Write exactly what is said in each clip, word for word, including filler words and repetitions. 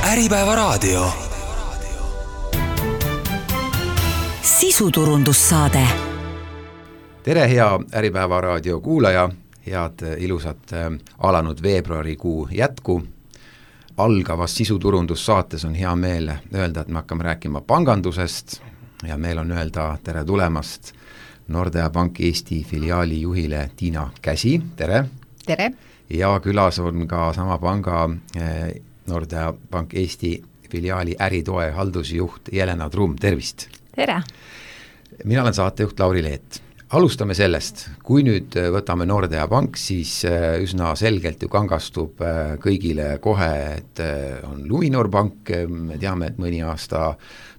Äripäevaraadio. Sisuturundussaade. Tere, hea Äripäevaraadio kuulaja, head ilusat alanud veebruarikuu jätku. Algavas sisuturundussaates on hea meel öelda, et me hakkame rääkima pangandusest ja meil on öelda tere tulemast Nordea Bank Eesti filiaali juhile Tiina Käsi, tere! Tere! Ja külas on ka sama panga Nordea Bank Eesti filiaali äritoe haldusjuht Jelena Trumm, tervist! Tere! Mina olen saatejuht Lauri Leet. Alustame sellest, kui nüüd võtame Nordea Bank, siis üsna selgelt ju kangastub kõigile kohe, et on Luminor Bank, me teame, et mõni aasta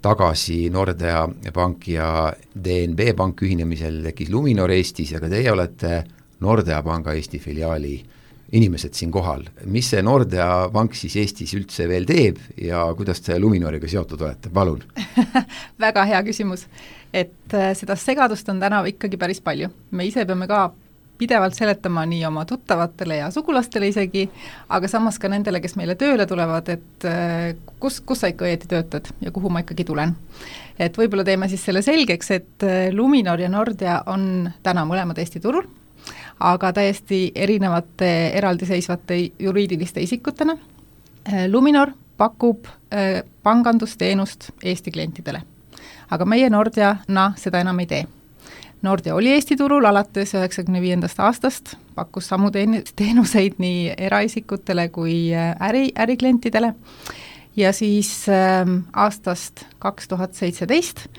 tagasi Nordea Bank ja D N B Bank ühinemisel tekkis Luminor Eestis ja ka teie olete Nordea Panga Eesti filiaali inimesed siin kohal. Mis see Nordea Bank siis Eestis üldse veel teeb ja kuidas te Luminoriga seotud olete? Palun! Väga hea küsimus, et seda segadust on täna ikkagi päris palju. Me ise peame ka pidevalt seletama nii oma tuttavatele ja sugulastele isegi, aga samas ka nendele, kes meile tööle tulevad, et kus, kus sa ikka õieti töötad ja kuhu ma ikkagi tulen. Et võib-olla teeme siis selle selgeks, et Luminor ja Nordea on täna mõlemad Eesti turul, aga täiesti erinevate eraldiseisvate juriidiliste isikutena. Luminor pakub pangandusteenust Eesti klientidele, aga meie Nordeana seda enam ei tee. Nordea oli Eesti turul alates üheksakümne viiendast aastast, pakkus samu teenuseid nii eraisikutele kui äri, äriklientidele ja siis ähm, aastast kaks tuhat seitseteist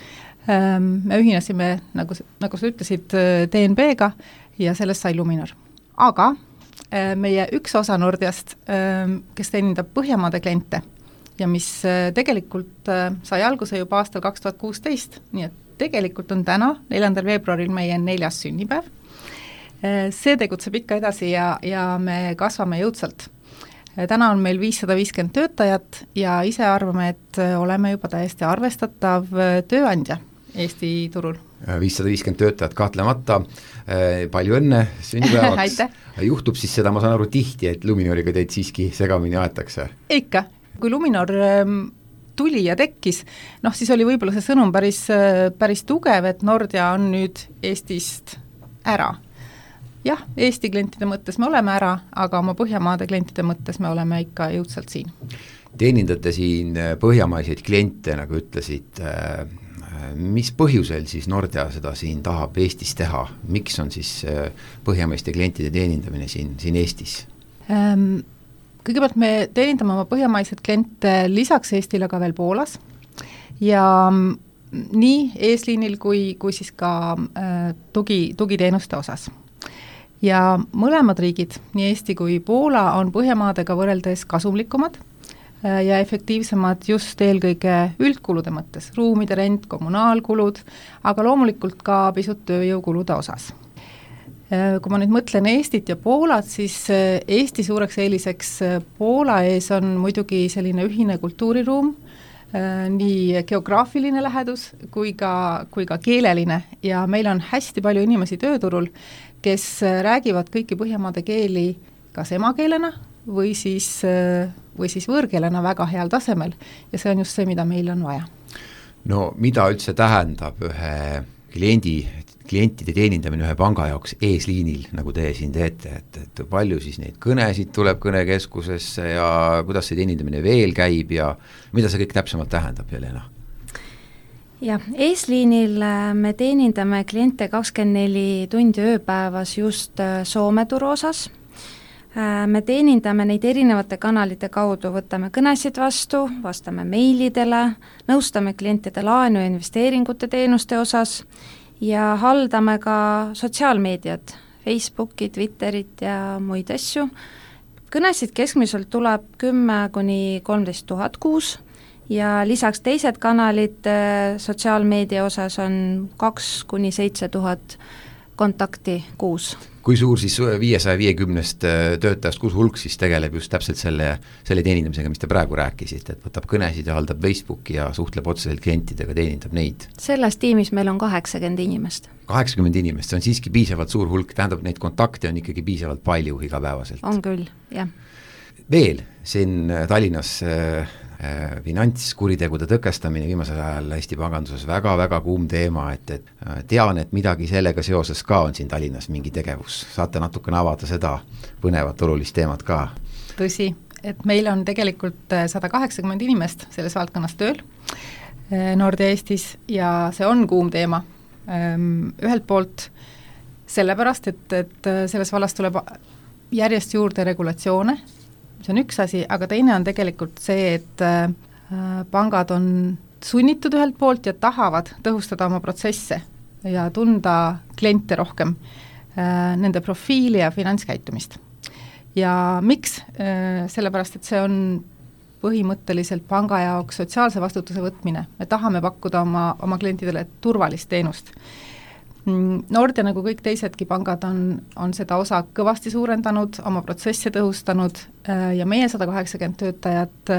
ähm, me ühinesime, nagu, nagu sa ütlesid, D N B-ga ja sellest sai Luminor. Aga äh, meie üks osa Nordeast, äh, kes teenindab Põhjamaade kliente ja mis äh, tegelikult äh, sai alguse juba aastal kaks tuhat kuusteist, nii et tegelikult on täna, neljandal veebruaril meie neljas sünnipäev. Äh, see tegutseb ikka edasi ja, ja me kasvame jõudsalt. Äh, täna on meil viissada viiskümmend töötajat ja ise arvame, et äh, oleme juba täiesti arvestatav äh, tööandja Eesti turul. viissada viiskümmend töötajat kahtlemata, palju õnne sünnipäevaks. Juhtub siis seda, ma saan aru tihti, et Luminoriga teid siiski segamini aetakse? Ikka, kui Luminor tuli ja tekkis, noh siis oli võib-olla see sõnum päris, päris tugev, et Nordea on nüüd Eestist ära. Jah, Eesti klientide mõttes me oleme ära, aga oma Põhjamaade klientide mõttes me oleme ikka jõudsalt siin. Teenindate siin põhjamaiseid kliente, nagu ütlesid, mis põhjusel siis Nordea seda siin tahab Eestis teha? Miks on siis põhjamaiste klientide teenindamine siin, siin Eestis? Kõigepealt me teenindame oma põhjamaised kliente lisaks Eestile ka veel Poolas ja nii eesliinil kui, kui siis ka tugi, tugiteenuste osas. Ja mõlemad riigid, nii Eesti kui Poola, on Põhjamaadega võrreldes kasumlikumad ja efektiivsemad just eelkõige üldkulude mõttes, ruumide rent, kommunaalkulud, aga loomulikult ka pisut tööjõukulude osas. Kui ma nüüd mõtlen Eestit ja Poolat, siis Eesti suureks eeliseks Poola ees on muidugi selline ühine kultuuriruum, nii geograafiline lähedus kui ka, kui ka keeleline ja meil on hästi palju inimesi tööturul, kes räägivad kõiki Põhjamaade keeli kas emakeelena või siis, või siis võõrkeelena väga heal tasemel ja see on just see, mida meil on vaja. No mida üldse tähendab ühe kliendi, klientide teenindamine ühe panga jaoks eesliinil, nagu te siin teete, et, et palju siis neid kõnesid tuleb kõnekeskusesse ja kuidas see teenindamine veel käib ja mida see kõik täpsemalt tähendab, Jelena? Jah, eesliinil me teenindame kliente kakskümmend neli tundi ööpäevas just Soome turu osas. Me teenindame neid erinevate kanalite kaudu, võtame kõnesid vastu, vastame meilidele, nõustame klientide laenu ja investeeringute teenuste osas ja haldame ka sotsiaalmeediat, Facebooki, Twitterit ja muid asju. Kõnesid keskmiselt tuleb kümme kuni kolmteist tuhat kuus ja lisaks teised kanalid sotsiaalmeedia osas on kaks kuni seitse tuhat kontakti kuus. Kui suur siis viiesaja viiekümnest töötajast, kus hulk siis tegeleb just täpselt selle, selle teenindamisega, mis te praegu rääkisite, et võtab kõnesid ja haldab Facebooki ja suhtleb otseselt klientidega, teenindab neid? Selles tiimis meil on kaheksakümmend inimest. kaheksakümmend inimest, see on siiski piisavalt suur hulk, tähendab, neid kontakte on ikkagi piisavalt palju igapäevaselt. On küll, jah. Veel siin Tallinnas finantskuritegude tõkestamine viimasel ajal Eesti panganduses väga-väga kuum teema, et, et tean, et midagi sellega seoses ka on siin Tallinnas mingi tegevus. Saate natukene avada seda põnevat olulist teemat ka? Tõsi, et meil on tegelikult sada kaheksakümmend inimest selles valdkonnas tööl Nordea Eestis ja see on kuum teema. Ühelt poolt sellepärast, et, et selles vallas tuleb järjest juurde regulatsioone, see on üks asi, aga teine on tegelikult see, et äh, pangad on sunnitud ühelt poolt ja tahavad tõhustada oma protsesse ja tunda kliente rohkem, äh, nende profiili ja finantskäitumist. Ja miks? Äh, sellepärast, et see on põhimõtteliselt panga jaoks sotsiaalse vastutuse võtmine. Me tahame pakkuda oma, oma klientidele turvalist teenust. Nordea nagu kõik teisedki pangad on, on seda osa kõvasti suurendanud, oma protsesse tõhustanud ja meie sada kaheksakümmend töötajad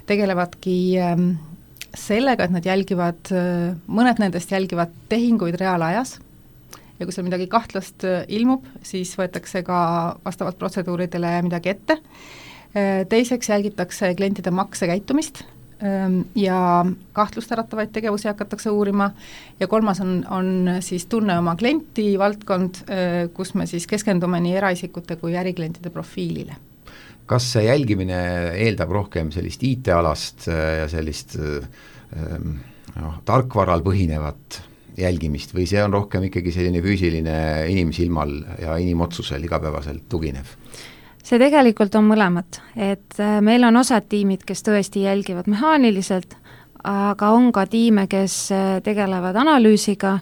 tegelevadki sellega, et nad jälgivad, mõned nendest jälgivad tehinguid reaalajas ja kui seal midagi kahtlast ilmub, siis võetakse ka vastavalt protseduuridele midagi ette. Teiseks jälgitakse klientide maksekäitumist ja kahtlust äratavaid tegevusi hakatakse uurima ja kolmas on, on siis tunne oma klienti valdkond, kus me siis keskendume nii eraisikute kui äriklientide profiilile. Kas see jälgimine eeldab rohkem sellist I T-alast ja sellist no, tarkvaral põhinevat jälgimist või see on rohkem ikkagi selline füüsiline inimsilmal ja inimotsusel igapäevaselt tuginev? See tegelikult on mõlemat, et meil on osad tiimid, kes tõesti jälgivad mehaaniliselt, aga on ka tiime, kes tegelevad analüüsiga,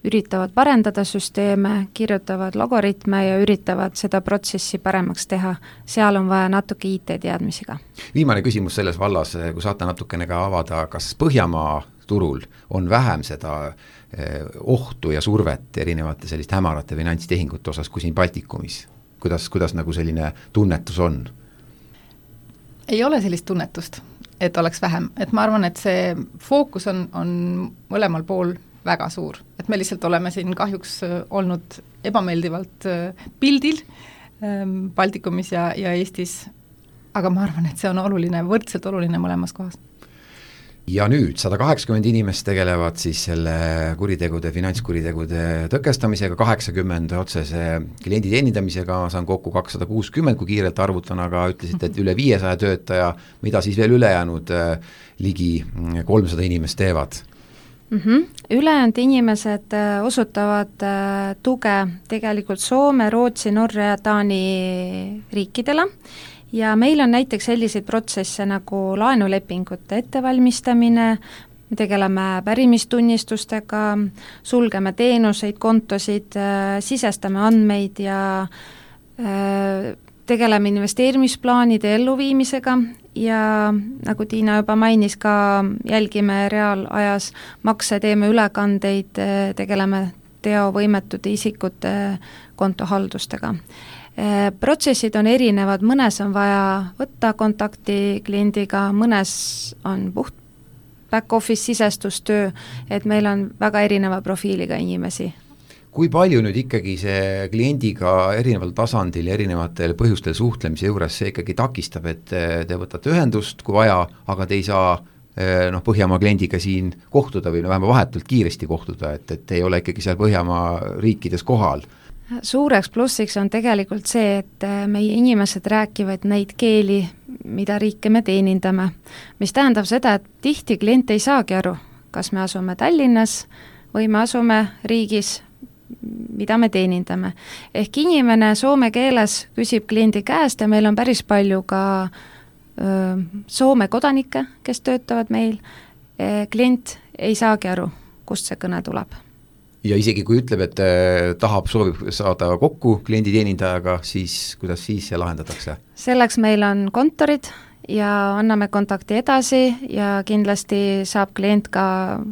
üritavad parendada süsteeme, kirjutavad logaritme ja üritavad seda protsessi paremaks teha. Seal on vaja natuke I T-teadmisi ka. Viimane küsimus selles vallas, kui saate natukene ka avada, kas Põhjamaa turul on vähem seda ohtu ja survet erinevate sellist hämarate finantstehingute osas kui siin Baltikumis? Kuidas, kuidas nagu selline tunnetus on? Ei ole sellist tunnetust, et oleks vähem. Et ma arvan, et see fookus on, on mõlemal pool väga suur. Et me lihtsalt oleme siin kahjuks olnud ebameeldivalt pildil Baltikumis ja, ja Eestis, aga ma arvan, et see on oluline, võrdselt oluline mõlemas kohas. Ja nüüd sada kaheksakümmend inimest tegelevad siis selle kuritegude, finantskuritegude tõkestamisega, kaheksakümmend otsese kliendi teenindamisega, saan kokku kakssada kuuskümmend, kui kiirelt arvutan, aga ütlesite, et üle viiesaja töötaja, mida siis veel ülejäänud ligi kolmsada inimest teevad? Mm-hmm. Ülejäänud inimesed osutavad tuge tegelikult Soome, Rootsi, Norra ja Taani riikidele ja meil on näiteks selliseid protsesse nagu laenulepingute ettevalmistamine, me tegeleme pärimistunnistustega, sulgeme teenuseid, kontosid, sisestame andmeid ja tegeleme investeerimisplaanide elluviimisega ja nagu Tiina juba mainis, ka jälgime reaalajas makse, teeme ülekandeid, tegeleme teovõimetude isikute kontohaldustega. Protsessid on erinevad, mõnes on vaja võtta kontakti kliendiga, mõnes on puht back-office sisestustöö, et meil on väga erineva profiiliga inimesi. Kui palju nüüd ikkagi see kliendiga erineval tasandil ja erinevatel põhjustel suhtlemise juures see ikkagi takistab, et te võtate ühendust, kui vaja, aga te ei saa noh, Põhjamaa kliendiga siin kohtuda või no vähemalt vahetult kiiresti kohtuda, et, et ei ole ikkagi seal Põhjamaa riikides kohal? Suureks plussiks on tegelikult see, et meie inimesed räägivad neid keeli, mida riike me teenindame, mis tähendab seda, et tihti klient ei saagi aru, kas me asume Tallinnas või me asume riigis, mida me teenindame. Ehk inimene soome keeles küsib kliendi käest ja meil on päris palju ka öö, Soome kodanikke, kes töötavad meil, e, klient ei saagi aru, kust see kõne tuleb. Ja isegi kui ütleb, et äh, tahab, soovib saada kokku kliendi teenindajaga, siis kuidas siis see lahendatakse? Selleks meil on kontorid ja anname kontakti edasi ja kindlasti saab klient ka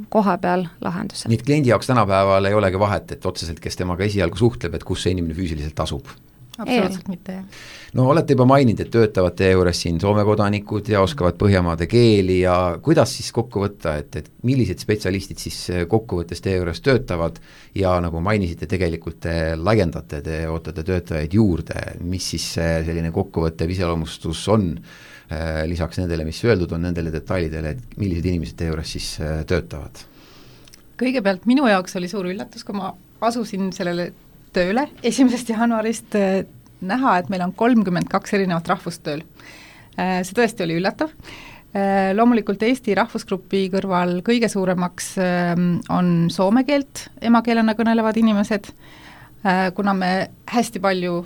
koha peal lahenduse. Nii et kliendi jaoks tänapäeval ei olegi vahet, et otseselt, kes temaga esialgu suhtleb, et kus see inimene füüsiliselt asub? Absoluutselt mitte, jah. No olete juba maininud, et töötavad teie juures siin Soome kodanikud ja oskavad Põhjamaade keeli ja kuidas siis kokku võtta, et, et millised spetsialistid siis kokkuvõttes teie juures töötavad ja nagu mainisite, tegelikult te laiendate, te ootate töötajaid juurde, mis siis selline kokkuvõttev iseloomustus on lisaks nendele, mis öeldud on, nendele detailidele, et millised inimesed teie juures siis töötavad? Kõigepealt minu jaoks oli suur üllatus, kui ma asusin sellele tööle esimesest jaanuarist näha, et meil on kolmkümmend kaks erinevat rahvust tööl. See tõesti oli üllatav. Loomulikult Eesti rahvusgrupi kõrval kõige suuremaks on soome keelt emakeelena kõnelevad inimesed, kuna me hästi palju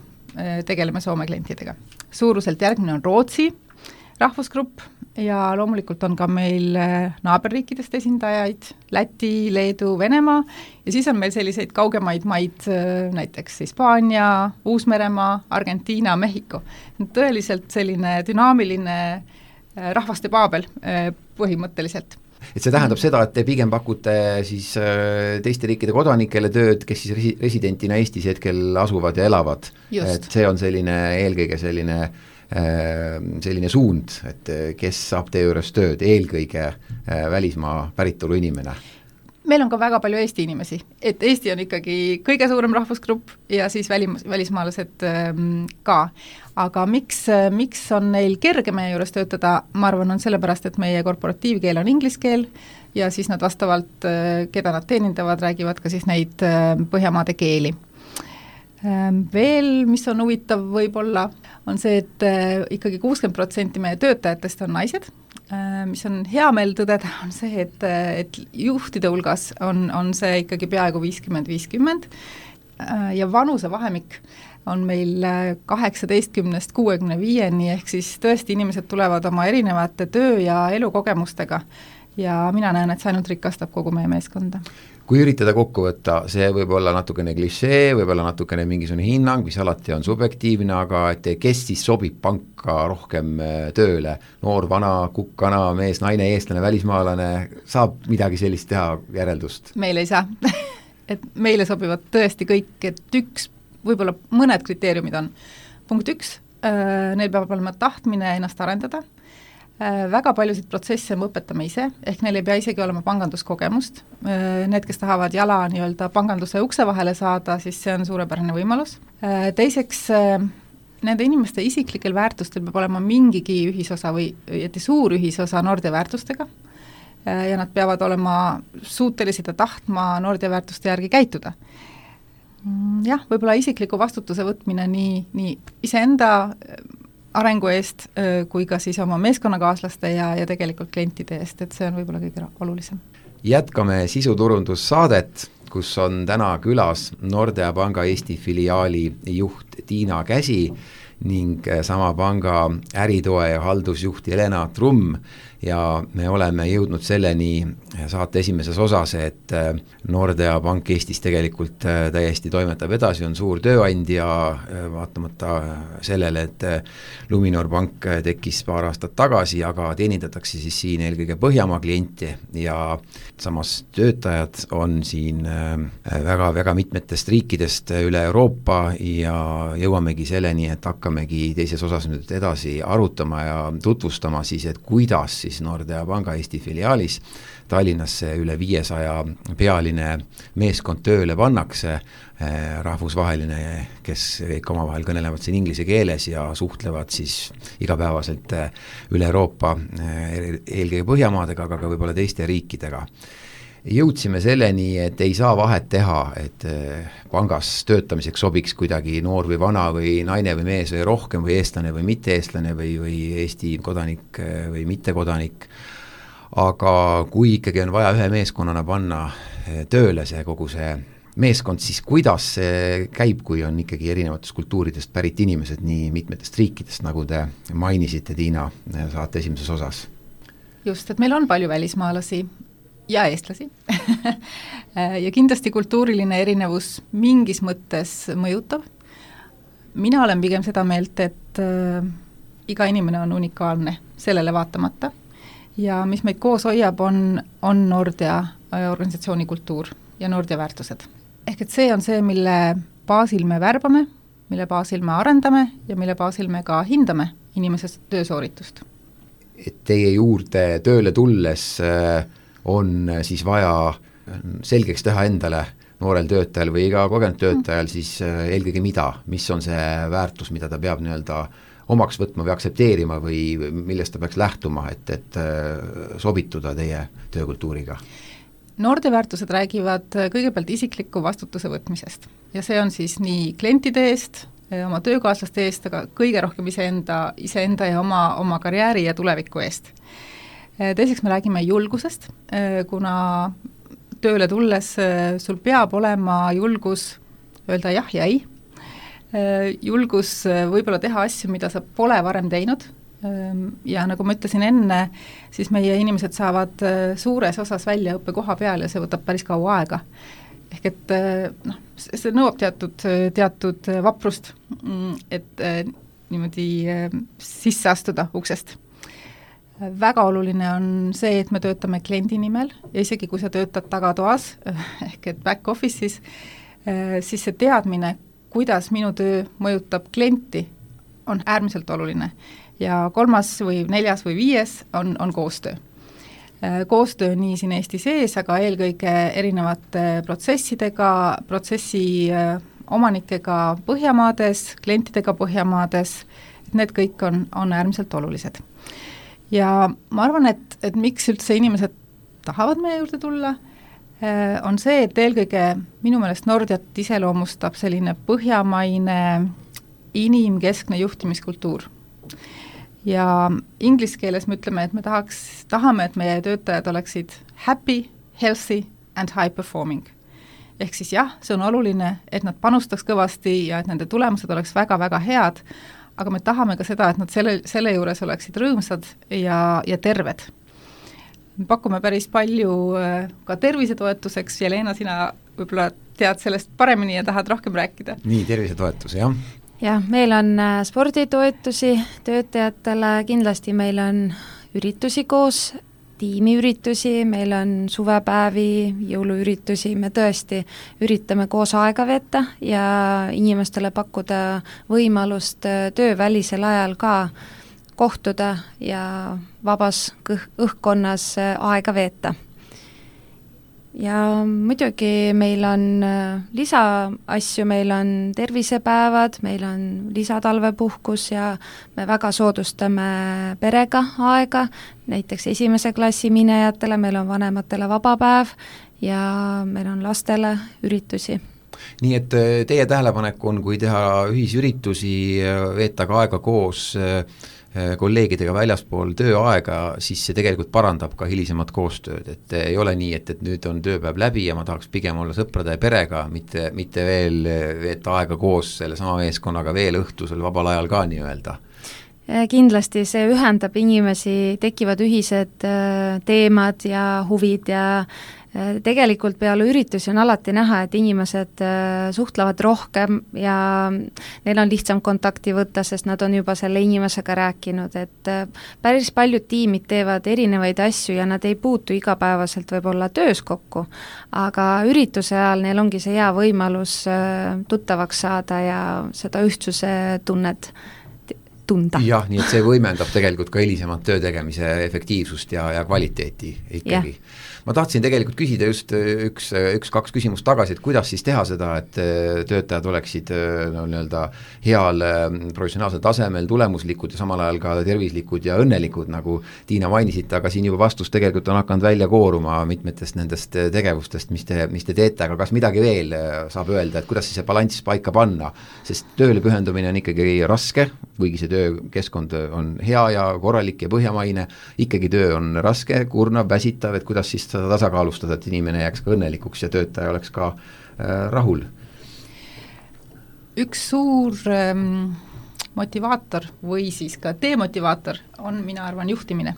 tegeleme soome klientidega. Suuruselt järgmine on Rootsi rahvusgrupp ja loomulikult on ka meil naaberriikidest esindajaid, Läti, Leedu, Venemaa ja siis on meil selliseid kaugemaid maid, näiteks Hispaania, Uus-Meremaa, Argentiina, Mehhiko. Tõeliselt selline dünaamiline rahvaste paabel põhimõtteliselt. Et see tähendab seda, et te pigem pakute siis teiste riikide kodanikele tööd, kes siis residentina Eestis hetkel asuvad ja elavad. Just. Et see on selline eelkõige selline, selline suund, et kes saab teie juures tööd, eelkõige välismaa päritolu inimene. Meil on ka väga palju Eesti inimesi, et Eesti on ikkagi kõige suurem rahvusgrupp ja siis välim, välismaalased ka. Aga miks, miks on neil kerge meie juures töötada, ma arvan, on sellepärast, et meie korporatiivkeel on inglise keel ja siis nad vastavalt, keda nad teenindavad, räägivad ka siis neid Põhjamaade keeli. Veel, mis on huvitav võib-olla, on see, et ikkagi kuuskümmend protsenti meie töötajatest on naised, mis on hea meel tõdeda, on see, et, et juhtide hulgas on, on see ikkagi peaaegu viiskümmend viiskümmend ja vanuse vahemik on meil kaheksateistkümnest kuuekümne viieni, ehk siis tõesti inimesed tulevad oma erinevate töö- ja elukogemustega ja mina näen, et see ainult rikastab kogu meie meeskonda. Kui üritada kokku võtta, see võib olla natukene klišee, võib olla natukene mingisugune hinnang, mis alati on subjektiivne, aga et kes siis sobib panka rohkem tööle, noor, vana, kukkana, mees, naine, eestlane, välismaalane, saab midagi sellist teha järeldust? Meil ei saa. Et meile sobivad tõesti kõik, et üks, võib-olla mõned kriteeriumid on. Punkt üks, neil peab olema tahtmine ennast arendada. Väga paljusid protsesse me õpetame ise, ehk neil ei pea isegi olema panganduskogemust. Need, kes tahavad jala nii-öelda panganduse ukse vahele saada, siis see on suurepärane võimalus. Teiseks, nende inimeste isiklikel väärtustel peab olema mingigi ühisosa või jäti suur ühisosa Nordea väärtustega ja nad peavad olema suutelised ja tahtma Nordea väärtuste järgi käituda. Jah, võib-olla isikliku vastutuse võtmine nii, nii iseenda arengu eest kui ka siis oma meeskonnakaaslaste ja, ja tegelikult klientide eest, et see on võib-olla kõige olulisem. Jätkame sisuturundussaadet, kus on täna külas Nordea Panga Eesti filiaali juht Tiina Käsi ning sama panga äritoe ja haldusjuht Jelena Trumm ja me oleme jõudnud selleni saate esimeses osas, et Nordea Pank Eestis tegelikult täiesti toimetab edasi, on suur tööandja, vaatamata sellele, et Luminor Pank tekkis paar aastat tagasi, aga teenindatakse siis siin eelkõige Põhjamaa klienti ja samas töötajad on siin väga-väga mitmetest riikidest üle Euroopa ja jõuamegi selleni, et hakkamegi teises osas nüüd edasi arutama ja tutvustama siis, et kuidas siis Nordea Panga Eesti filiaalis Tallinnasse üle viiesaja pealine meeskond tööle pannakse, rahvusvaheline, kes kõik omavahel kõnelevad siin inglise keeles ja suhtlevad siis igapäevaselt üle Euroopa, eelkõige Põhjamaadega, aga ka võib-olla teiste riikidega. Jõudsime selleni, et ei saa vahet teha, et pangas töötamiseks sobiks kuidagi noor või vana või naine või mees või rohkem või eestlane või mitte-eestlane või, või Eesti kodanik või mittekodanik. Aga kui ikkagi on vaja ühe meeskonnana panna tööle see kogu see meeskond, siis kuidas see käib, kui on ikkagi erinevatest kultuuridest pärit inimesed nii mitmetest riikidest, nagu te mainisite, Tiina, saate esimeses osas? Just, et meil on palju välismaalasi ja eestlasi ja kindlasti kultuuriline erinevus mingis mõttes mõjutab. Mina olen pigem seda meelt, et äh, iga inimene on unikaalne sellele vaatamata ja mis meid koos hoiab, on, on Nordea organisatsiooni kultuur ja Nordea väärtused. Ehk et see on see, mille baasil me värbame, mille baasil me arendame ja mille baasil me ka hindame inimese töösooritust. Et teie juurde tööle tulles on siis vaja selgeks teha endale noorel töötajal või iga kogenud töötajal siis eelkõige mida, mis on see väärtus, mida ta peab nii-öelda omaks võtma või aktsepteerima või millest ta peaks lähtuma, et, et sobituda teie töökultuuriga? Norde väärtused räägivad kõigepealt isikliku vastutuse võtmisest ja see on siis nii klientide eest, oma töökaaslaste eest, aga kõige rohkem iseenda, iseenda ja oma, oma karjääri ja tuleviku eest. Teiseks me räägime julgusest, kuna tööle tulles sul peab olema julgus öelda jah ja ei, julgus võib-olla teha asju, mida sa pole varem teinud, ja nagu ma ütlesin enne, siis meie inimesed saavad suures osas väljaõppe koha peal ja see võtab päris kaua aega. Ehk et noh, see nõuab teatud, teatud vaprust, et niimoodi sisse astuda uksest. Väga oluline on see, et me töötame kliendi nimel ja isegi kui sa töötad tagatoas, ehk et back office'is, siis see teadmine, kuidas minu töö mõjutab klienti, on äärmiselt oluline. Ja kolmas või neljas või viies on, on koostöö. Koostöö nii siin Eesti sees, aga eelkõige erinevate protsessidega, protsessi omanikega Põhjamaades, klientidega Põhjamaades, need kõik on, on äärmiselt olulised. Ja ma arvan, et, et miks üldse inimesed tahavad meie juurde tulla, on see, et eelkõige minu meelest Nordiat iseloomustab selline põhjamaine inimkeskne juhtimiskultuur. Ja inglise keeles me ütleme, et me tahaks, tahame, et meie töötajad oleksid happy, healthy and high performing. Ehk siis jah, see on oluline, et nad panustaks kõvasti ja et nende tulemused oleks väga-väga head, aga me tahame ka seda, et nad selle, selle juures oleksid rõõmsad ja, ja terved. Me pakume päris palju ka tervisetoetuseks, Jelena, sina võib-olla tead sellest paremini ja tahad rohkem rääkida. Nii, tervisetoetus, jah. jah, meil on sporditoetusi töötajatele, kindlasti meil on üritusi koos, tiimiüritusi, meil on suvepäevi, jõuluüritusi, me tõesti üritame koos aega veeta ja inimestele pakkuda võimalust töövälisel ajal ka kohtuda ja vabas kõh- õhkkonnas aega veeta. Ja muidugi meil on lisaasju, meil on tervisepäevad, meil on lisatalvepuhkus ja me väga soodustame perega aega, näiteks esimese klassi minejatele, meil on vanematele vabapäev ja meil on lastele üritusi. Nii et teie tähelepanek on, kui teha ühisüritusi, veeta ka aega koos kolleegidega väljaspool tööaega, siis see tegelikult parandab ka hilisemat koostööd, et ei ole nii, et, et nüüd on tööpäev läbi ja ma tahaks pigem olla sõprade ja perega, mitte, mitte veel veeta aega koos selle sama meeskonnaga veel õhtusel vabal ajal ka nii-öelda. Kindlasti see ühendab inimesi, tekivad ühised teemad ja huvid ja tegelikult peale üritusi on alati näha, et inimesed suhtlevad rohkem ja neil on lihtsam kontakti võtta, sest nad on juba selle inimesega rääkinud, et päris paljud tiimid teevad erinevaid asju ja nad ei puutu igapäevaselt võib-olla töös kokku, aga ürituse ajal neil ongi see hea võimalus tuttavaks saada ja seda ühtsuse tunnet tunda. Jah, nii et see võimendab tegelikult ka hilisemat töö tegemise efektiivsust ja, ja kvaliteeti ikkagi. Ja. Ma tahtsin tegelikult küsida just üks, üks, kaks küsimust tagasi, et kuidas siis teha seda, et töötajad oleksid no, nii-öelda heal professionaalsel tasemel, tulemuslikud ja samal ajal ka tervislikud ja õnnelikud, nagu Tiina mainisite, aga siin juba vastus tegelikult on hakanud välja kooruma mitmetest nendest tegevustest, mis te, mis te teete, aga kas midagi veel saab öelda, et kuidas siis see balanss paika panna, sest tööle pühendumine on ikkagi raske, kuigi see töökeskkond on hea ja korralik ja põhjamaine, ikkagi töö on raske, kurnav, väsitav, et kuidas siis seda tasakaalustada, et inimene jääks ka õnnelikuks ja töötaja oleks ka äh, rahul? Üks suur ähm, motivaator või siis ka demotivaator on, mina arvan, juhtimine.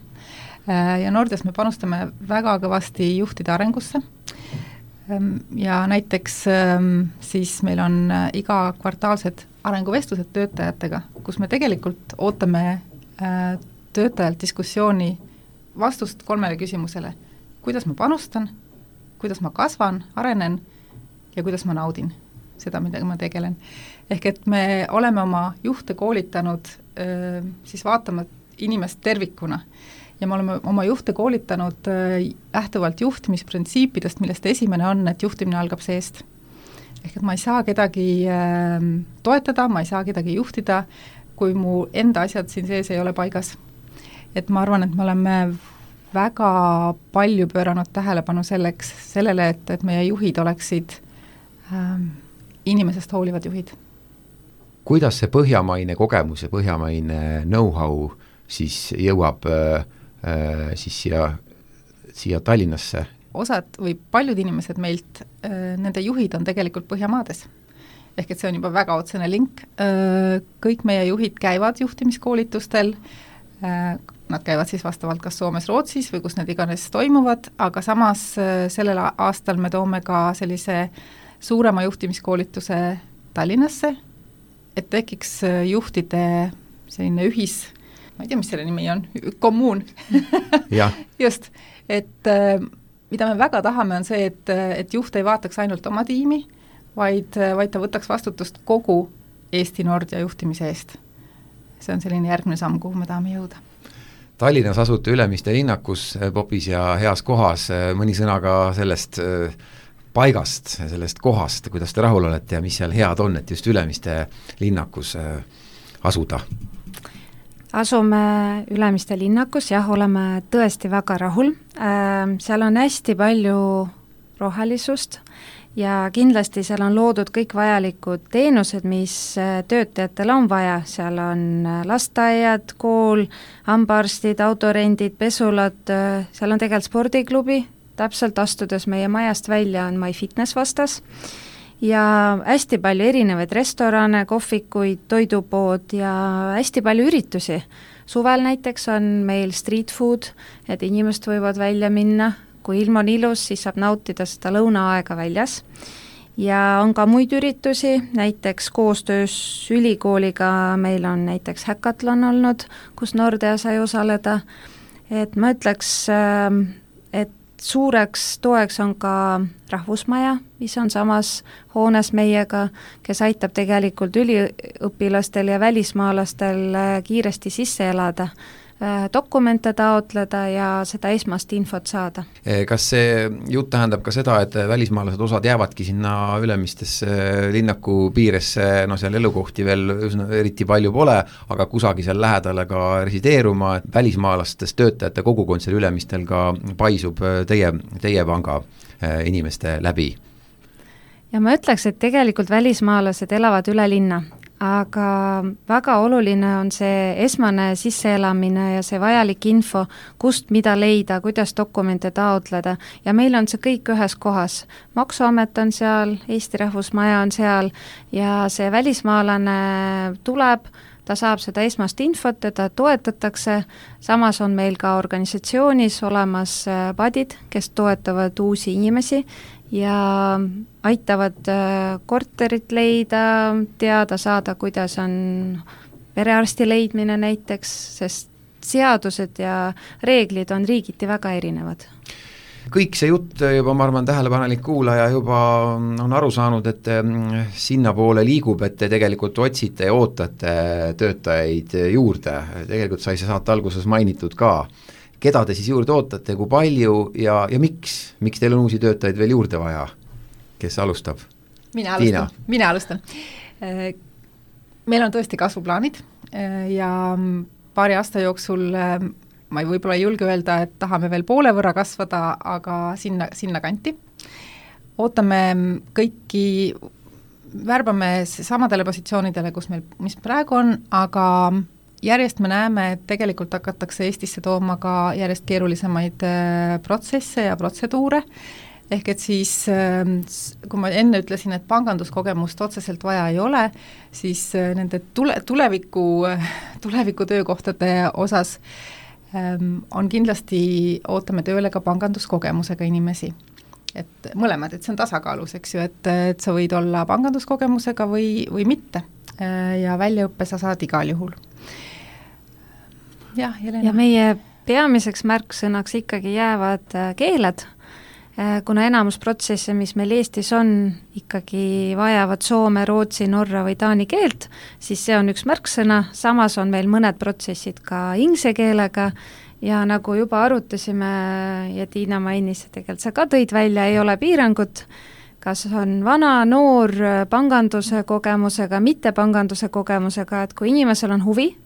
Äh, ja Nordias me panustame väga kõvasti juhtide arengusse ähm, ja näiteks ähm, siis meil on äh, iga kvartaalsed arenguvestlused töötajatega, kus me tegelikult ootame äh, töötajalt diskussiooni vastust kolmele küsimusele. Kuidas ma panustan, kuidas ma kasvan, arenen ja kuidas ma naudin seda, millega ma tegelen. Ehk et me oleme oma juhte koolitanud öö, siis vaatama inimest tervikuna ja me oleme oma juhte koolitanud öö, lähtuvalt juhtimisprintsiipidest, millest esimene on, et juhtimine algab seest. Ehk et ma ei saa kedagi öö, toetada, ma ei saa kedagi juhtida, kui mu enda asjad siin sees ei ole paigas. Et ma arvan, et me oleme väga palju pööranud tähelepanu selleks, sellele, et, et meie juhid oleksid ähm, inimesest hoolivad juhid. Kuidas see põhjamaine kogemus ja põhjamaine know-how siis jõuab äh, siis siia, siia Tallinnasse? Osad või paljud inimesed meilt, nende juhid on tegelikult Põhjamaades. Ehk et see on juba väga otsene link. Kõik meie juhid käivad juhtimiskoolitustel, nad käivad siis vastavalt kas Soomes, Rootsis või kus need iganes toimuvad, aga samas sellel aastal me toome ka sellise suurema juhtimiskoolituse Tallinnasse, et tekiks juhtide selline ühis, ma ei tea, mis selle nimi on, kommuun. Just, et mida me väga tahame, on see, et, et juht ei vaataks ainult oma tiimi, vaid, vaid ta võtaks vastutust kogu Eesti Nordea juhtimise eest. See on selline järgmine samm, kuhu me tahame jõuda. Tallinnas asute Ülemiste linnakus, popis ja heas kohas, mõni sõna ka sellest paigast, sellest kohast, kuidas te rahul olete ja mis seal head on, et just Ülemiste linnakus asuda? Asume Ülemiste linnakus, jah, oleme tõesti väga rahul. Seal on hästi palju rohelisust ja kindlasti seal on loodud kõik vajalikud teenused, mis töötajatel on vaja. Seal on lasteaiad, kool, hambaarstid, autorendid, pesulad, seal on tegelikult spordiklubi, täpselt astudes meie majast välja on MyFitness vastas. Ja hästi palju erinevaid restorane, kohvikuid, toidupood ja hästi palju üritusi. Suvel näiteks on meil street food, et inimesed võivad välja minna, kui ilm on ilus, siis saab nautida seda lõunaaega väljas. Ja on ka muid üritusi, näiteks koostöös ülikooliga meil on näiteks häkatlon olnud, kus Nordea sai osaleda. Et ma ütleks, et suureks toeks on ka rahvusmaja, mis on samas hoones meiega, kes aitab tegelikult üliõpilastel ja välismaalastel kiiresti sisse elada, dokumente taotleda ja seda esmast infot saada. Kas see jutt tähendab ka seda, et välismaalased osad jäävadki sinna Ülemistesse linnaku piiresse, no seal elukohti veel üsna eriti palju pole, aga kusagi seal lähedale ka resideeruma, et välismaalastest töötajate kogukond seal Ülemistel ka paisub teie, teie panga inimeste läbi? Ja ma ütleks, et tegelikult välismaalased elavad üle linna, aga väga oluline on see esmane sisseelamine ja see vajalik info, kust mida leida, kuidas dokumente taotleda ja meil on see kõik ühes kohas. Maksuamet on seal, Eesti Rahvusmaja on seal ja see välismaalane tuleb, ta saab seda esmast infot, teda toetatakse, samas on meil ka organisatsioonis olemas padid, kes toetavad uusi inimesi ja aitavad korterit leida, teada saada, kuidas on perearsti leidmine näiteks, sest seadused ja reeglid on riigiti väga erinevad. Kõik see jutt juba, ma arvan, tähelepanelik kuulaja juba on aru saanud, et sinna poole liigub, et te tegelikult otsite ja ootate töötajaid juurde. Tegelikult sai see saate alguses mainitud ka. Keda te siis juurde ootate, kui palju ja, ja miks? Miks teil on uusi töötajaid veel juurde vaja? Kes alustab? Mina alustan. Mina alustan. Meil on tõesti kasvuplaanid ja paari aasta jooksul ma ei võib-olla ei julge öelda, et tahame veel poole võrra kasvada, aga sinna, sinna kanti. Ootame kõiki, värbame samadele positsioonidele, kus meil, mis praegu on, aga järjest me näeme, et tegelikult hakatakse Eestisse tooma ka järjest keerulisemaid protsesse ja protseduure, ehk et siis, kui ma enne ütlesin, et panganduskogemust otseselt vaja ei ole, siis nende tule, tuleviku, tuleviku töökohtade osas on kindlasti, ootame tööle ka panganduskogemusega inimesi. Et mõlemad, et see on tasakaalus, eks ju, et, et sa võid olla panganduskogemusega või, või mitte ja väljaõppe sa saad igal juhul. Ja, ja meie peamiseks märksõnaks ikkagi jäävad keeled, kuna enamus protsesse, mis meil Eestis on, ikkagi vajavad Soome, Rootsi, Norra või Taani keelt, siis see on üks märksõna, samas on meil mõned protsessid ka inglise keelega ja nagu juba arutasime ja Tiina mainis, tegelikult sa ka tõid välja, ei ole piirangut, kas on vana, noor, panganduse kogemusega, mitte panganduse kogemusega, et kui inimesel on huvi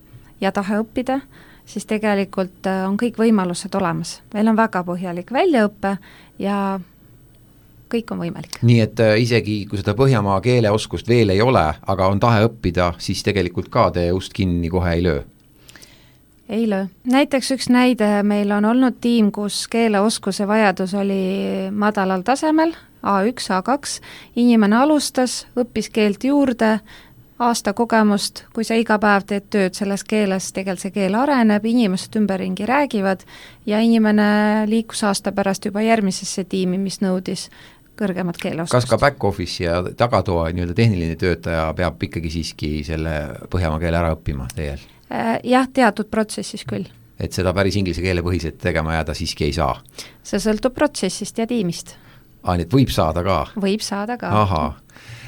ja tahe õppida, siis tegelikult on kõik võimalused olemas. Meil on väga põhjalik väljaõppe ja kõik on võimalik. Nii et isegi kui seda Põhjamaa keeleoskust veel ei ole, aga on tahe õppida, siis tegelikult ka te ust kinni kohe ei löö? Ei löö. Näiteks üks näide, meil on olnud tiim, kus keeleoskuse vajadus oli madalal tasemel, A üks, A kaks, inimene alustas, õppis keelt juurde, aasta kogemust, kui sa iga päev teed tööd selles keeles, tegelikult see keel areneb, inimesed ümberringi räägivad ja inimene liikus aasta pärast juba järgmisesse tiimi, mis nõudis kõrgemat keeleoskust. Kas ka back-office ja tagatoa nii-öelda tehniline töötaja peab ikkagi siiski selle Põhjamaa keele ära õppima teel? Jah, teatud protsessis küll. Et seda päris inglise keele põhiselt tegema jääda siiski ei saa? See sõltub protsessist ja tiimist. Ah, nii et võib saada ka? Võib saada ka. Aha.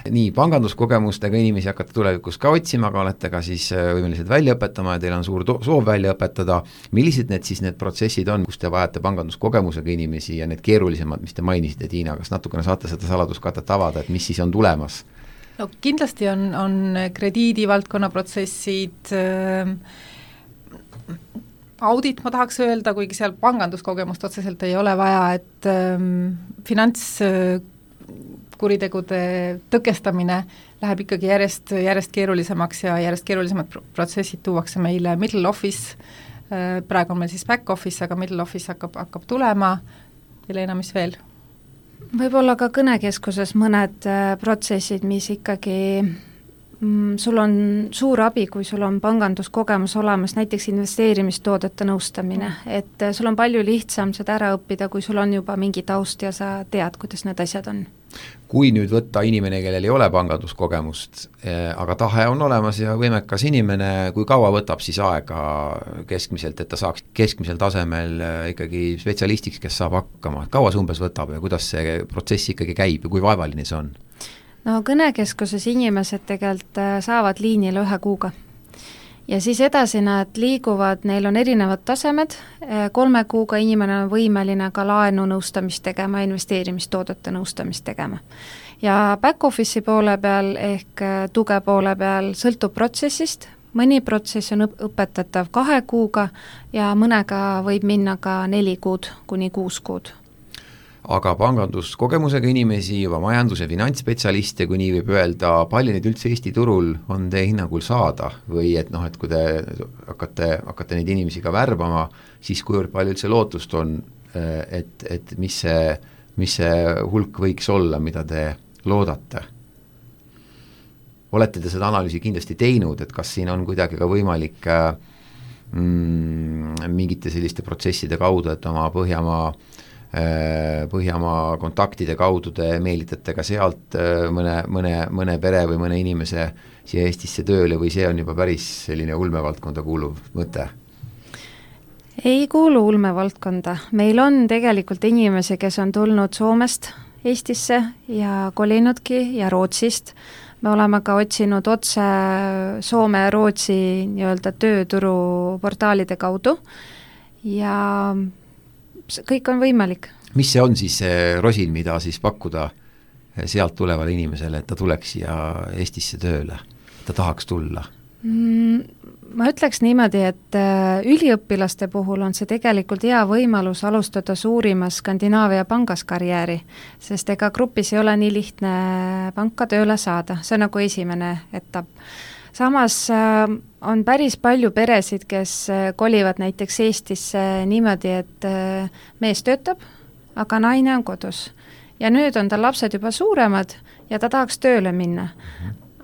Nii, panganduskogemustega inimesi hakata tulevikus ka otsima, aga olete ka siis võimelised välja õpetama ja teil on suur soov välja õpetada. Millised need siis need protsessid on, kus te vajate panganduskogemusega inimesi ja need keerulisemad, mis te mainisite, Tiina, kas natukene saate seda saladuskatet avada, et mis siis on tulemas? No kindlasti on, on krediidivaldkonna protsessid, äh, audit ma tahaks öelda, kuigi seal panganduskogemust otseselt ei ole vaja, et äh, finants äh, kuritegude tõkestamine läheb ikkagi järjest, järjest keerulisemaks ja järjest keerulisemad protsessid tuuakse meile middle office, praegu on meil siis back office, aga middle office hakkab, hakkab tulema. Helena, mis veel? Võib-olla ka kõnekeskuses mõned protsessid, mis ikkagi mm, sul on suur abi, kui sul on panganduskogemus olemas, näiteks investeerimistoodete nõustamine, et sul on palju lihtsam seda ära õppida, kui sul on juba mingi taust ja sa tead, kuidas need asjad on. Kui nüüd võtta inimene, kellel ei ole panganduskogemust, aga tahe on olemas ja võimekas inimene, kui kaua võtab siis aega keskmiselt, et ta saaks keskmisel tasemel ikkagi spetsialistiks, kes saab hakkama, kaua see umbes võtab ja kuidas see protsess ikkagi käib ja kui vaevaline see on? No kõnekeskuses inimesed tegelikult saavad liinile ühe kuuga. Ja siis edasi nad liiguvad, neil on erinevad tasemed, kolme kuuga inimene on võimeline ka laenu nõustamist tegema, investeerimistoodete nõustamist tegema. Ja back office'i poole peal ehk tuge poole peal sõltub protsessist, mõni protsess on õpetatav kahe kuuga ja mõnega võib minna ka neli kuud kuni kuus kuud. Aga panganduskogemusega inimesi, juba majandus- ja finantsspetsialiste, kui nii võib öelda, palju neid üldse Eesti turul on teie hinnangul saada või et noh, et kui te hakkate, hakkate neid inimesi ka värbama, siis kuivõrd palju üldse lootust on, et, et mis see, mis see hulk võiks olla, mida te loodate? Olete te seda analüüsi kindlasti teinud, et kas siin on kuidagi ka võimalik mm, mingite selliste protsesside kaudu, et oma Põhjamaa Põhjamaa kontaktide kaudu te meelitate ka sealt mõne, mõne, mõne pere või mõne inimese siia Eestisse tööle või see on juba päris selline ulmevaldkonda kuuluv mõte? Ei kuulu ulmevaldkonda. Meil on tegelikult inimesi, kes on tulnud Soomest Eestisse ja kolinudki ja Rootsist. Me oleme ka otsinud otse Soome ja Rootsi nii-öelda tööturuportaalide kaudu ja kõik on võimalik. Mis see on siis see rosin, mida siis pakkuda sealt tulevale inimesele, et ta tuleks siia Eestisse tööle, ta tahaks tulla? Mm, ma ütleks niimoodi, et üliõpilaste puhul on see tegelikult hea võimalus alustada suurimas Skandinaavia pangas karjääri, sest ega grupis ei ole nii lihtne panka tööle saada, see on nagu esimene etapp. Samas on päris palju peresid, kes kolivad näiteks Eestisse niimoodi, et mees töötab, aga naine on kodus. Ja nüüd on tal lapsed juba suuremad ja ta tahaks tööle minna.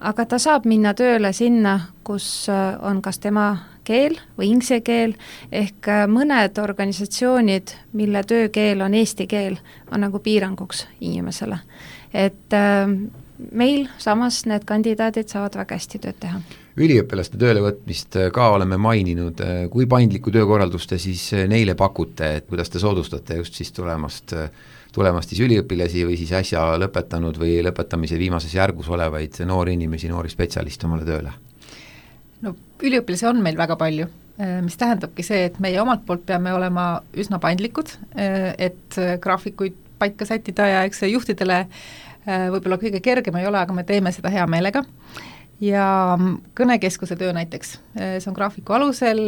Aga ta saab minna tööle sinna, kus on kas tema keel või inglise keel, ehk mõned organisatsioonid, mille töökeel on eesti keel, on nagu piiranguks inimesele. Et meil samas need kandidaadid saavad väga hästi tööd teha. Üliõpilaste töölevõtmist ka oleme maininud, kui paindliku töökorraldust te siis neile pakute, et kuidas te soodustate just siis tulemast, tulemast siis üliõpilasi või siis äsja lõpetanud või lõpetamise viimases järgus olevaid noori inimesi, noori spetsialiste omale tööle? No üliõpilasi on meil väga palju, mis tähendabki see, et meie omalt poolt peame olema üsna paindlikud, et graafikuid paika sättida ja eks juhtidele võib-olla kõige kergem ei ole, aga me teeme seda hea meelega. Ja kõnekeskuse töö näiteks, see on graafiku alusel,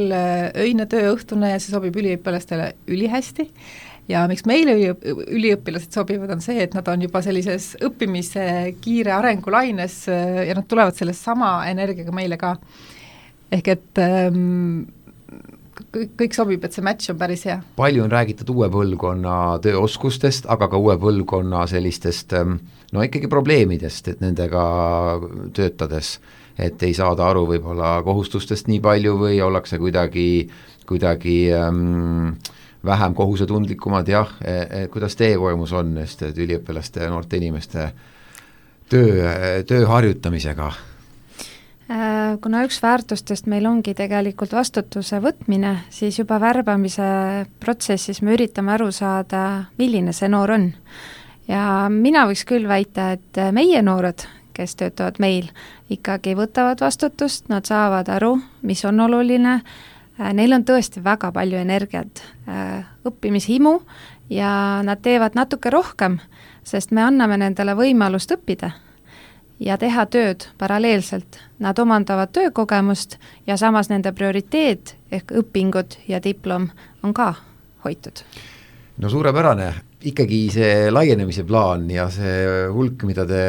öine töö, õhtune ja see sobib üliõpilastele ülihästi. Ja miks meile üliõpilased sobivad, on see, et nad on juba sellises õppimise kiire arengulaines ja nad tulevad selle sama energiaga meile ka. Ehk et ähm, kõik sobib, et see match on päris hea. Palju on räägitud uue põlvkonna tööoskustest, aga ka uue põlvkonna sellistest no ikkagi probleemidest, et nendega töötades, et ei saada aru võib-olla kohustustest nii palju või ollakse kuidagi, kuidagi ähm, vähem kohusetundlikumad, jah, kuidas teie kogemus on, sest et üliõpilaste ja noorte inimeste töö, töö harjutamisega? Kuna üks väärtustest meil ongi tegelikult vastutuse võtmine, siis juba värbamise protsessis me üritame aru saada, milline see noor on. Ja mina võiks küll väita, et meie noored, kes töötavad meil, ikkagi võtavad vastutust, nad saavad aru, mis on oluline, neil on tõesti väga palju energiat, õppimishimu ja nad teevad natuke rohkem, sest me anname nendele võimalust õppida ja teha tööd paralleelselt. Nad omandavad töökogemust ja samas nende prioriteet ehk õpingud ja diplom on ka hoitud. No suurepärane, ikkagi see laienemise plaan ja see hulk, mida te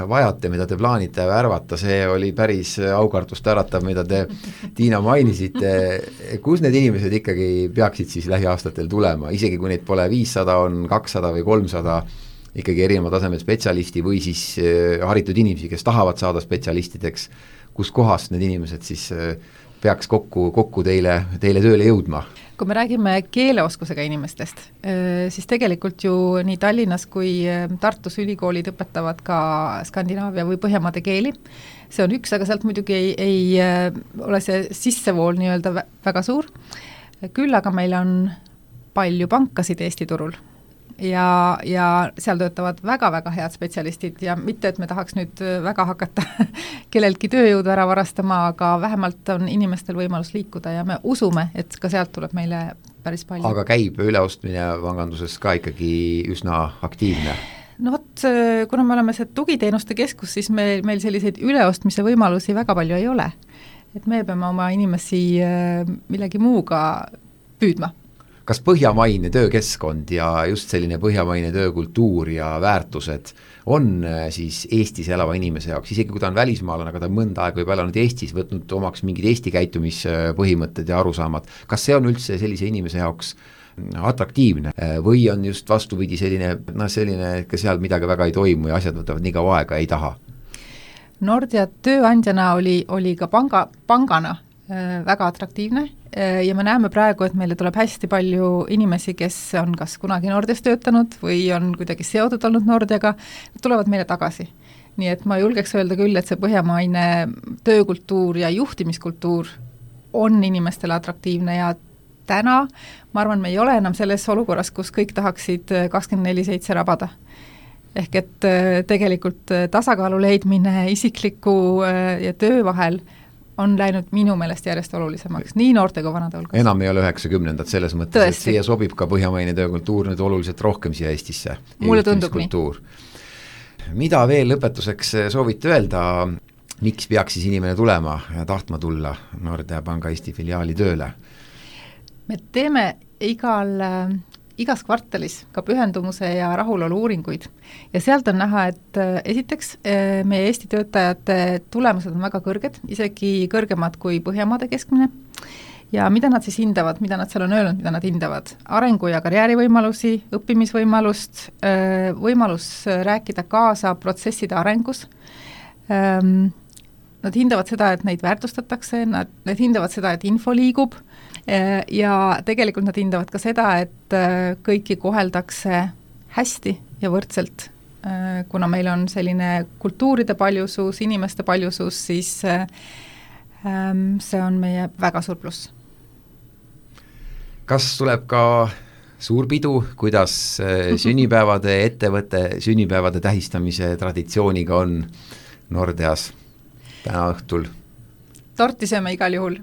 vajate, mida te plaanite värvata, see oli päris aukartust äratav, mida te, Tiina, mainisite. Kus need inimesed ikkagi peaksid siis lähiaastatel tulema, isegi kui neid pole viissada, on kakssada või kolmsada, ikkagi erineva tasemel spetsialisti või siis haritud inimesi, kes tahavad saada spetsialistideks, kus kohas need inimesed siis peaks kokku, kokku teile, teile tööle jõudma? Kui me räägime keeleoskusega inimestest, siis tegelikult ju nii Tallinnas kui Tartus ülikoolid õpetavad ka Skandinaavia või Põhjamaade keeli. See on üks, aga sealt muidugi ei, ei ole see sissevool nii-öelda väga suur. Küll aga meil on palju pankasid Eesti turul. Ja, ja seal töötavad väga-väga head spetsialistid ja mitte, et me tahaks nüüd väga hakata kelleltki tööjõudu ära varastama, aga vähemalt on inimestel võimalus liikuda ja me usume, et ka sealt tuleb meile päris palju. Aga käib üleostmine panganduses ka ikkagi üsna aktiivne? No vot, kuna me oleme see tugiteenuste keskus, siis meil, meil selliseid üleostmise võimalusi väga palju ei ole. Et me peame oma inimesi millegi muuga püüdma. Kas põhjamaine töökeskkond ja just selline põhjamaine töökultuur ja väärtused on siis Eestis elava inimese jaoks, isegi kui ta on välismaalane, aga ta mõnda aega juba elanud Eestis, võtnud omaks mingid Eesti käitumispõhimõtted ja arusaamad, kas see on üldse sellise inimese jaoks atraktiivne või on just vastupidi selline, no selline, et seal midagi väga ei toimu ja asjad võtavad nii kaua aega, ei taha? Nordea tööandjana oli, oli ka panga, pangana väga atraktiivne ja me näeme praegu, et meile tuleb hästi palju inimesi, kes on kas kunagi Nordeas töötanud või on kuidagi seotud olnud Nordeaga, tulevad meile tagasi. Nii et ma julgeks öelda küll, et see põhjamaine töökultuur ja juhtimiskultuur on inimestele atraktiivne ja täna, ma arvan, me ei ole enam selles olukorras, kus kõik tahaksid kakskümmend neli seitse rabada. Ehk et tegelikult tasakaalu leidmine isikliku ja töö vahel on läinud minu meelest järjest olulisemaks, nii noorte kui vanade hulgas. Enam ei ole üheksakümnendad selles mõttes, Tõesti. Et siia sobib ka põhjamaine töökultuur nüüd oluliselt rohkem siia Eestisse. Mulle tundub nii. Mida veel lõpetuseks soovite öelda, miks peaks siis inimene tulema ja tahtma tulla Nordea Panga Eesti filiaali tööle? Me teeme igal igas kvartalis ka pühendumuse ja rahulolu uuringuid ja sealt on näha, et esiteks meie Eesti töötajate tulemused on väga kõrged, isegi kõrgemad kui Põhjamaade keskmine ja mida nad siis hindavad, mida nad seal on öelnud, mida nad hindavad, arengu- ja karjäärivõimalusi, õppimisvõimalust, võimalus rääkida kaasa protsesside arengus, nad hindavad seda, et neid väärtustatakse, nad, nad hindavad seda, et info liigub ja tegelikult nad hindavad ka seda, et kõiki koheldakse hästi ja võrdselt. Kuna meil on selline kultuuride paljusus, inimeste paljusus, siis see on meie väga suur pluss. Kas tuleb ka suur pidu, kuidas sünnipäevade ettevõtte, sünnipäevade tähistamise traditsiooniga on Nordeas täna õhtul? Torti sööme igal juhul.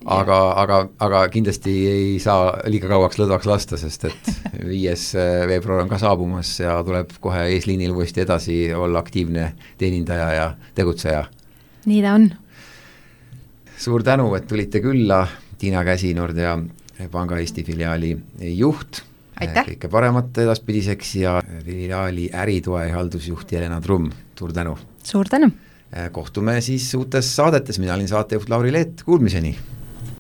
aga, aga, aga kindlasti ei saa liiga kauaks lõdvaks lasta, sest et viies veebruar on ka saabumas ja tuleb kohe eesliinil uuesti edasi olla aktiivne teenindaja ja tegutseja. nii ta on. Suur tänu, et tulite külla, Tiina Käsi, Nordea Panga Eesti filiaali juht. Aitäh. Kõike paremat edaspidiseks ja filiaali äritoe haldusjuht Jelena Trumm, suur tänu. Suur tänu. Kohtume siis uutes saadetes, mina olin saatejuht Lauri Leet, kuulmiseni.